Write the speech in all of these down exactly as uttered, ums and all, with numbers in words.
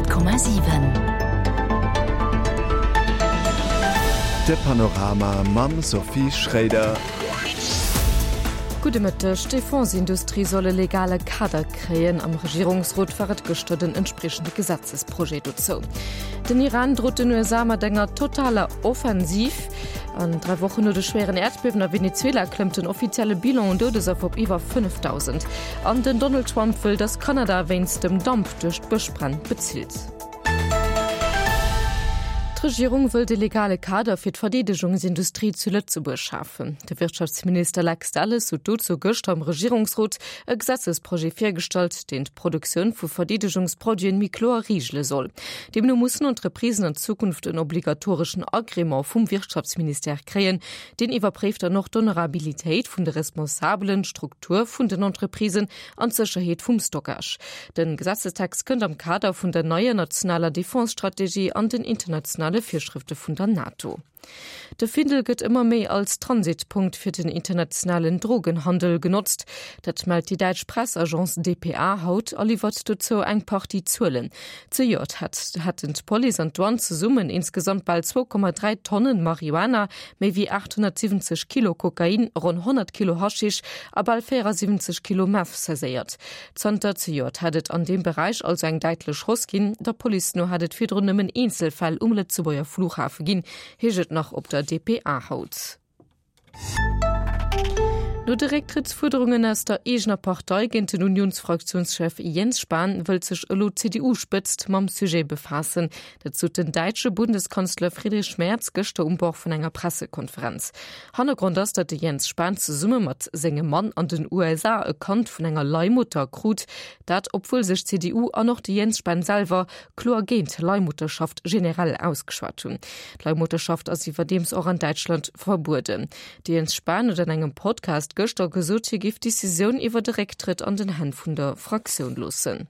Honnert Komma siwen. De Panorama mam Sophie Schréider. Gudde Mëtteg. D'Defense-Industrie soll e legale Kader kréien. Am Regierungsrot war et gëschter den entspriechende Gesetzesprojet dozou. Den Iran drot den U S A mat enger totaler Offensiv. An dräi Wochen no de schwéieren Äerdbiewen a Venezuela klëmmt den offizielle Bilan un Doudesaffer op iwwer fënnefdausend. An den Donald Trump wëll, datt Kanada wéinst dem Damp duerch d'Bëschbränn bezilt. D'Regierung wëll de legale Kader fir d'Verdeedegungsindustrie zu Lëtzebuerg schafen. De Wirtschaftsminister Lex Delles huet dozou gëschter am Regierungsrot e Gesetzesprojet virgestallt, deen d'Produktioun vu Verdeedegungsproduiten méi kloer reegele soll. Deemno mussen Entreprisen an Zukunft en obligatoreschen Agrément vum Wirtschaftsministère kréien. Deen iwwerpréift dann och d'Honorabilitéit vun de Responsabelen, d'Struktur vun den Entreprisen an d'Sécherheet vum Stockage. Den Gesetzestext kënnt am Kader vun der neier nationaler Defense-Strategie an den internationale Virschrifte vun der NATO. De Findel gëtt ëmmer méi als Transitpunkt fir den internationalen Drogenhandel genotzt. Dat mellt déi däitsch Pressagence D P A haut a liwwert dozou eng Partie Zuelen. Zejoert hat, hätten d'Police an d'Douane zesummen insgesamt bal zwou Komma dräi Tonnen Marihuana, méi wéi achthonnertsiwwenzeg Kilo Kokain, ronn honnert Kilo Haschisch a bal véierasiwwenzeg Kilo Meth saiséiert. Zanter zejoert hätt et an deem Beräich also eng däitlech Hausse ginn. Der Police no hätt et virdrun nëmmen Eenzelfäll um Lëtzebuerger Flughafe ginn, heescht et nach op der D P A haut. No de Récktrëttsfuerderungen aus der eegener Partei géint den Unionsfraktiounschef Jens Spahn wëllt sech elo d'C D U-Spëtzt mam Sujet befaassen. Dat sot den däitsche Bundeskanzler Friedrich Merz gëschter um Bord vun enger Pressekonferenz. Hannergrond ass, datt de Jens Spahn zesumme mat sengem Mann an den U S A e Kand vun enger Leihmutter krut. Dat obwuel sech d'C D U an och de Jens Spahn selwer kloer géint Leihmutterschaft generell ausgeschwat hunn. D'Leihmutterschaft ass iwwerdeems och an Däitschland verbueden. De Jens Spahn huet an engem Podcast gëschter gesot, hie géif d'Decisioun iwwer de Récktrëtt an den Hänn vun der Fraktioun loossen.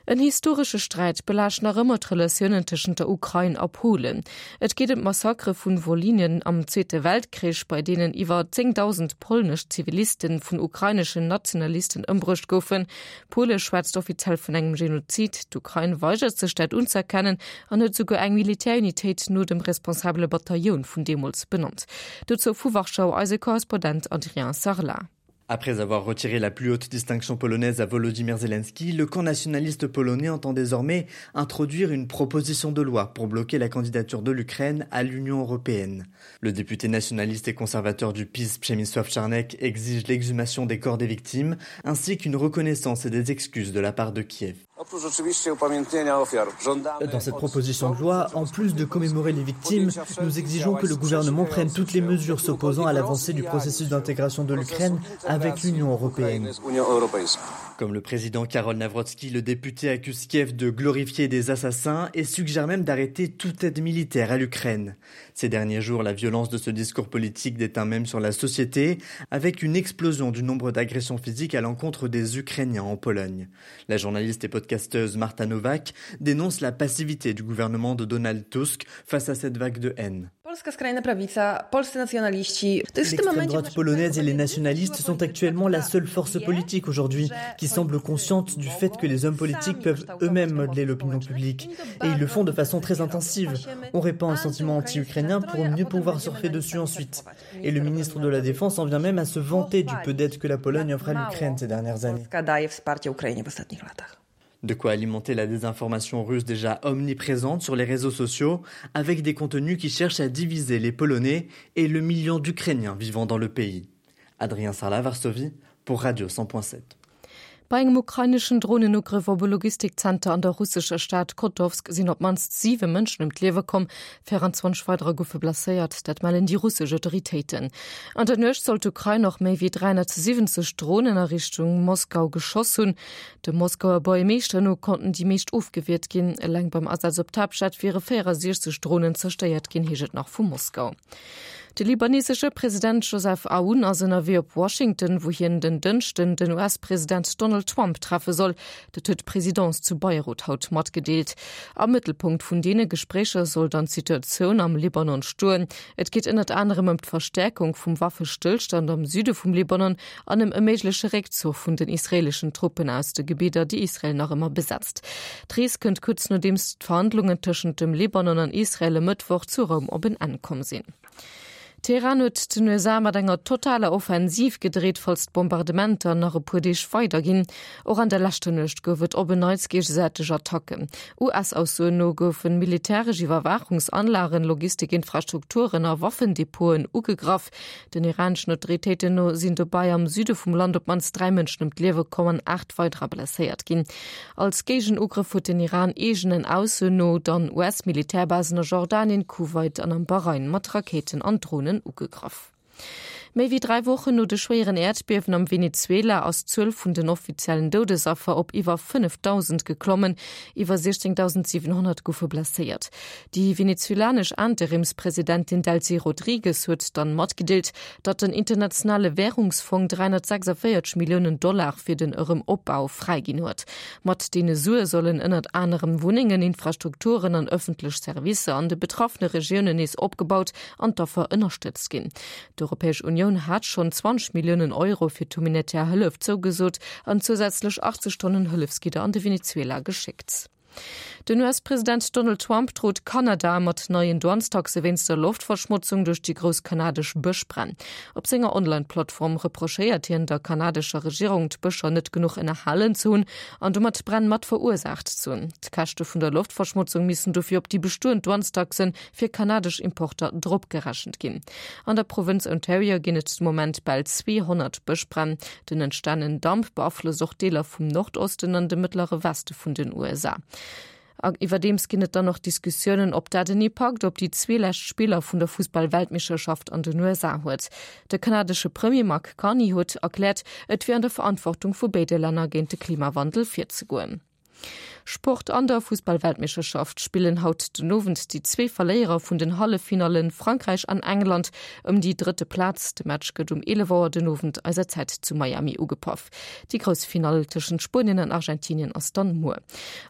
En historesche Sträit belaascht nach ëmmer d'Relatiounen tëschent der Ukrain a Polen. Et geet ëm d'Massakere vun Wolynien am Zweete Weltkrich, bei deenen iwwer zéngdausend polnesch Zivilisten vun ukraineschen Nationalisten ëmbruecht goufen. Pole schwätzt offiziell vun engem Genozid. D'Ukrain weigert sech dat unzëerkennen an huet souguer eng Militärunitéit no dem responsabele Bataillon vun deemools benannt. Dozou vu Warschau eise Korrespondent Adrien Sarlat. Après avoir retiré la plus haute distinction polonaise à Volodymyr Zelensky, le camp nationaliste polonais entend désormais introduire une proposition de loi pour bloquer la candidature de l'Ukraine à l'Union européenne. Le député nationaliste et conservateur du P I S, Przemysław Czarnek, exige l'exhumation des corps des victimes, ainsi qu'une reconnaissance et des excuses de la part de Kiev. Oprócz oczywiście upamiętnienia ofiar, żądamy Dans cette od proposition de loi, en plus de commémorer les victimes, nous exigeons que le gouvernement prenne toutes les mesures s'opposant à l'avancée du processus d'intégration de l'Ukraine avec l'Union européenne. Z Unią Europejską. Comme le président Karol Nawrocki, le député accuse Kiev de glorifier des assassins et suggère même d'arrêter toute aide militaire à l'Ukraine. Ces derniers jours, la violence de ce discours politique déteint même sur la société, avec une explosion du nombre d'agressions physiques à l'encontre des Ukrainiens en Pologne. La journaliste et podcasteuse Marta Nowak dénonce la passivité du gouvernement de Donald Tusk face à cette vague de haine. Polska skrajna prawica, polscy nacjonaliści. To jest w tym L'extrême momencie droite polonaise et les nationalistes sont actuellement la seule force politique aujourd'hui qui semble consciente du fait que les hommes politiques peuvent eux-mêmes modeler l'opinion publique. Et ils le font de façon très intensive. On répand un sentiment anti-ukrainien pour mieux pouvoir surfer dessus ensuite. Et le ministre de la Défense en vient même à se vanter du peu d'aide que la Pologne offre à l'Ukraine ces dernières années. Polska daje wsparcie Ukrainie w ostatnich latach. De quoi alimenter la désinformation russe déjà omniprésente sur les réseaux sociaux, avec des contenus qui cherchent à diviser les Polonais et le million d'Ukrainiens vivant dans le pays. Adrien Sarlat, Varsovie, pour Radio cent point sept. Bei engem ukraineschen Drohnenugriff op e Logistikzenter an der russescher Stad Kotovsk sinn op d'mannst siwe Mënschen ëm d'Liewe komm, vierundzwanzeg weiderer goufe blesséiert, dat mellen déi russesch Autoritéiten. An der Nuecht soll d'Ukrain och méi wéi dreihundertsiwwenzeg Drohnen a Richtung Moskau geschoss hunn. De Moskauer Buergermeeschter no konnten déi meescht ofgewiert ginn. Eleng beim Asaz op d'Haaptstad wiere vierundsechzeg Drohnen zerstéiert ginn, heescht et nach vu Moskau. De libanesesche President Joseph Aoun ass ënnerwee op Washington, wou hien den Dënschden den U S-President Donald Trump treffe soll. Dat huet d'Presidence zu Beirut haut matgedeelt. Am Mëttelpunkt vun deene Gespréicher soll dann d'Situatioun am Libanon stoen. Et geet ënnert anerem ëm d'Verstäerkung vum Waffestëllstand am Süde vum Libanon an ëm e méigleche Réckzuch vun den israeeleschen Truppen aus de Gebidder, déi Israel nach ëmmer besetzt. D'Rees kënnt kuerz nodeems d'Verhandlungen tëschent dem Libanon an Israel e Mëttwoch zu Roum op en Enn komm sinn. Teheran huet den U S A mat enger totaler Offensiv gedreet, falls d'Bombardementer nach e puer Deeg weiderginn. Och an der leschter Nuecht gouf et op en Neits géigesäiteg Attacken. U S-Aussoen no goufe militäresch Iwwerwaachungsanlagen, Logistikinfrastrukturen a Waffendepoten ugegraff. Den iraneschen Autoritéiten no sinn dobäi am Süde vum Land op d'mannst dräi Mënschen ëm d'Liewe komm an aacht weiderer blesséiert ginn. Als Géigenugrëff huet den Iran eegenen Aussoen no dann U S-Militärbasen a Jordanien, Kuwait an am Bahrain mat Rakéiten an Dronen ugegraff. Méi wéi dräi Wochen no de schwéieren Äerdbiewen am Venezuela ass d'Zuel vun den offiziellen Doudesaffer op iwwer fënnefdausend geklommen, iwwer siechzéngdausendsiwenhonnert goufe blesséiert. Déi venezuelanesch Interimspresidentin Delcy Rodriguez huet dann matgedeelt, datt den internationale Wärungsfong dräihonnertsechsundvéierzeg Milliounen Dollar fir den Erëmopbau fräiginn huet. Mat deene Sue sollen ënnert anerem Wunnengen, Infrastrukturen an ëffentlech Servicer an de betraffene Regiounen nees opgebaut an d'Affer ënnerstëtzt ginn. D'Europäesch Unioun hat schonn zwanzeg Milliounen Euro fir d'humanitär Hëllef zougesot an zousätzlech achtzeg Tonnen Hëllefsgidder an de Venezuela geschéckt. Den U S-President Donald Trump drot Kanada mat neien Douanestaxe wéinst der Loftverschmotzung duerch déi grouss kanadesch Bëschbränn. Op senger Online-Plattform reprochéiert hien der kanadescher Regierung, d'Bëscher net genuch ënnerhalen ze hunn an domat d'Bränn mat verursaacht ze hunn. D'Käschte vun der Loftverschmotzung missten dofir op déi bestoend Douanestaxe fir kanadesch Importer dropgerechent ginn. An der Provënz Ontario ginn et de Moment bal zweehonnert Bëschbränn. Den entstanenen Damp beaflosst och Deeler vum Nordosten an de mëttlere Weste vun den U S A. Iwwerdeems ginn et dann nach Diskussiounen, ob dat en Impakt op déi zwee lescht Spiller vun der Fussball-Weltmeeschterschaft an den U S A huet. De kanadesche Premier Mark Carney huet erkläert, et wier an der Verantwortung vu béide Länner géint de Klimawandel virzegoen. Sport An der Fussball-Weltmeeschterschaft spillen haut den Owend déi zwee Verléierer vun den Halleffinallen Frankräich an England ëm déi drëtte Plaz. De Match gëtt um eelef Auer den Owend eiser Zäit zu Miami ugepaff. Déi grouss Finall tëschent Spuenien an Argentinien ass dann muer.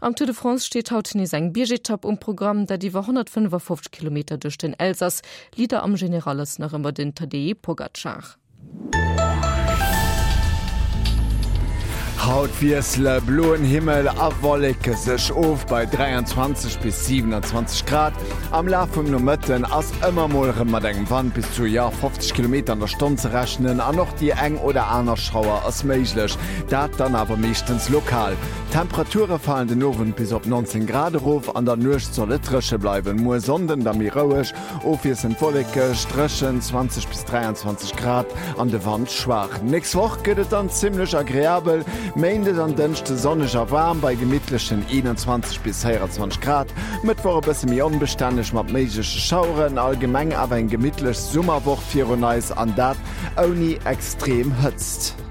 Am Tour de France steet haut nees eng Biergetapp um Programm, dat iwwer honnertfënnefafofzeg Kilometer duerch den Elsass. Leader am General ass nach ëmmer den Tadej Pogacar. Haut wiessele bloen Himmel a Wolleke sech of bei dräianzwanzeg bis siewenanzwanzeg Grad. Am Laf vum Nomëtten ass ëmmer mol erëm mat engem Wand bis zu, jo, fofzeg Kilometer an der Stonn ze rechnen an och déi eng oder aner Schauer ass méiglech, dat dann awer meeschtens lokal. D'Temperature falen den Owend bis op neunzéng Grad erof, an der Nuecht soll et dréche bleiwen. Muer Sonnden da méi roueg, ofwiesselnd wollekeg, dréchen, zwanzeg bis dräianzwanzeg Grad an de Wand schwaach. Nächst Woch gëtt et dann zimmlech agreabel, Méindes an Dënschde sonneg a waarm bei gemittlechen eenanzwanzeg bis véieranzwanzeg Grad, Mëttwoch e bësse méi onbestänneg mat méigleche Schaueren, allgemeng awer eng gemittlech Summerwoch virun eis an dat ouni extrem Hëtzt.